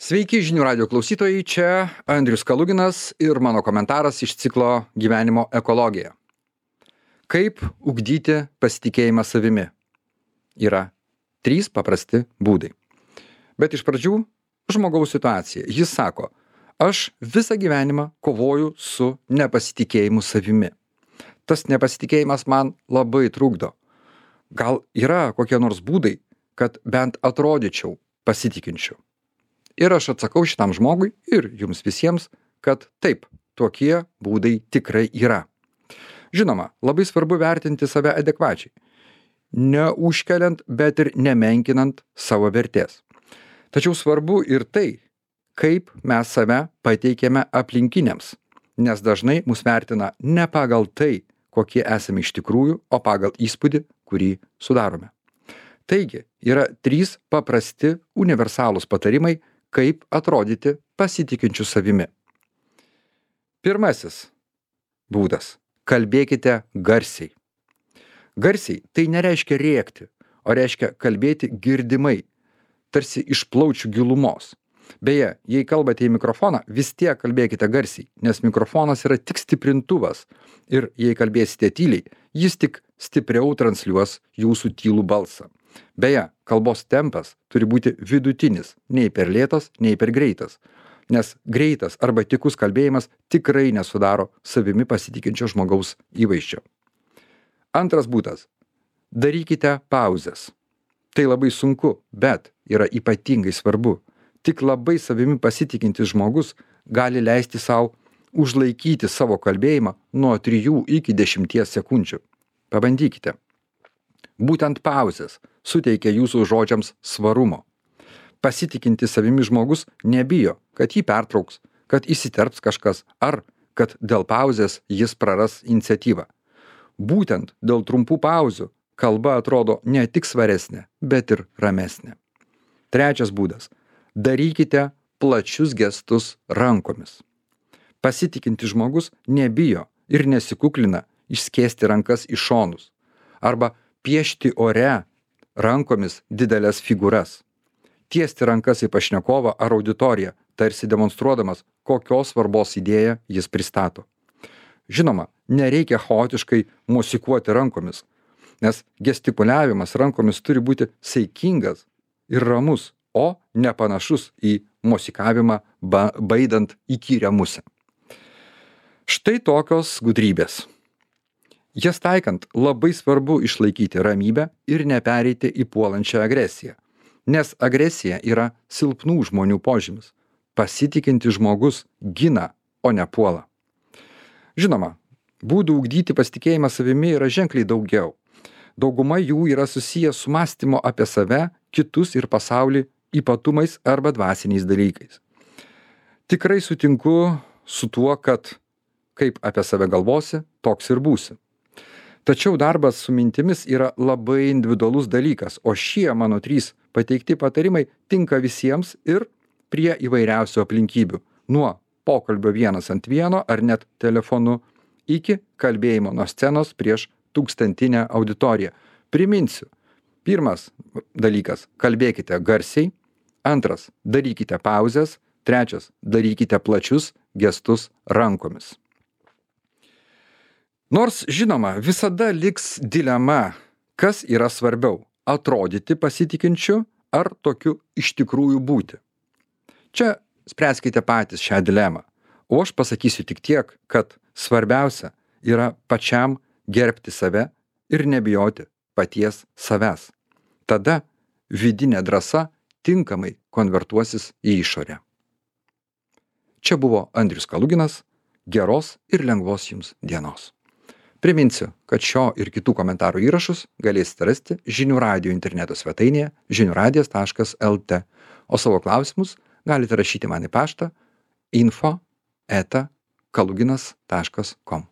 Sveiki žinių radio klausytojai, čia Andrius Kaluginas ir mano komentaras iš ciklo Gyvenimo ekologija. Kaip ugdyti pasitikėjimą savimi? Yra 3 paprasti būdai. Bet iš pradžių žmogaus situacija. Jis sako, aš visą gyvenimą kovoju su nepasitikėjimu savimi. Tas nepasitikėjimas man labai trukdo. Gal yra kokie nors būdai, kad bent atrodyčiau pasitikinčiu? Ir aš atsakau šitam žmogui ir jums visiems, kad taip, tokie būdai tikrai yra. Žinoma, labai svarbu vertinti save adekvačiai, neužkeliant, bet ir nemenkinant savo vertės. Tačiau svarbu ir tai, kaip mes save pateikėme aplinkiniams, nes dažnai mus vertina ne pagal tai, kokie esame iš tikrųjų, o pagal įspūdį, kurį sudarome. Taigi, yra 3 paprasti universalūs patarimai, kaip atrodyti pasitikinčiu savimi. Pirmasis būdas – kalbėkite garsiai. Garsiai tai nereiškia rėkti, o reiškia kalbėti girdimai, tarsi iš plaučių gilumos. Beje, jei kalbate į mikrofoną, vis tiek kalbėkite garsiai, nes mikrofonas yra tik stiprintuvas ir jei kalbėsite tyliai, jis tik stipriau transliuos jūsų tylų balsą. Beje, kalbos tempas turi būti vidutinis, nei per lėtas, nei per greitas, nes greitas arba tykus kalbėjimas tikrai nesudaro savimi pasitikinčio žmogaus įvaizdžio. Antras būdas – darykite pauzes. Tai labai sunku, bet yra ypatingai svarbu. Tik labai savimi pasitikintis žmogus gali leisti sau užlaikyti savo kalbėjimą nuo 3 iki 10 sekundžių. Pabandykite. Būtent pauzės suteikia jūsų žodžiams svarumo. Pasitikintis savimi žmogus nebijo, kad jį pertrauks, kad įsiterps kažkas ar kad dėl pauzės jis praras iniciatyvą. Būtent dėl trumpų pauzių kalba atrodo ne tik svaresnė, bet ir ramesnė. Trečias būdas – darykite plačius gestus rankomis. Pasitikintis žmogus nebijo ir nesikuklina išskėsti rankas į šonus arba piešti ore rankomis didelės figūras. Tiesti rankas į pašnekovą ar auditoriją, tarsi demonstruodamas, kokios svarbos idėją jis pristato. Žinoma, nereikia chaotiškai mosikuoti rankomis, nes gestikuliavimas rankomis turi būti saikingas ir ramus, o nepanašus į mosikavimą baidant įkyrią musę. Štai tokios gudrybės. Jas taikant labai svarbu išlaikyti ramybę ir nepereiti į puolančią agresiją, nes agresija yra silpnų žmonių požymis. Pasitikintis žmogus gina, o ne puola. Žinoma, būdų ugdyti pasitikėjimą savimi yra ženkliai daugiau. Dauguma jų yra susiję su mąstymo apie save, kitus ir pasaulį ypatumais arba dvasiniais dalykais. Tikrai sutinku su tuo, kad kaip apie save galvosi, toks ir būsi. Tačiau darbas su mintimis yra labai individualus dalykas, o šie mano 3 pateikti patarimai tinka visiems ir prie įvairiausių aplinkybių, nuo pokalbio 1-ant-1 ar net telefonu iki kalbėjimo nuo scenos prieš 1000 auditoriją. Priminsiu, pirmas dalykas – kalbėkite garsiai, antras – darykite pauzes, trečias – darykite plačius gestus rankomis. Nors, žinoma, visada liks dilema, kas yra svarbiau – atrodyti pasitikinčiu ar tokiu iš tikrųjų būti. Čia spręskite patys šią dilemą, o aš pasakysiu tik tiek, kad svarbiausia yra pačiam gerbti save ir nebijoti paties savęs. Tada vidinė drąsa tinkamai konvertuosis į išorę. Čia buvo Andrius Kaluginas, geros ir lengvos jums dienos. Priminsiu, kad šio ir kitų komentarų įrašus galėsite rasti Žinių radijo interneto svetainėje žiniuradijas.lt, o savo klausimus galite rašyti man į paštą info@kaluginas.com.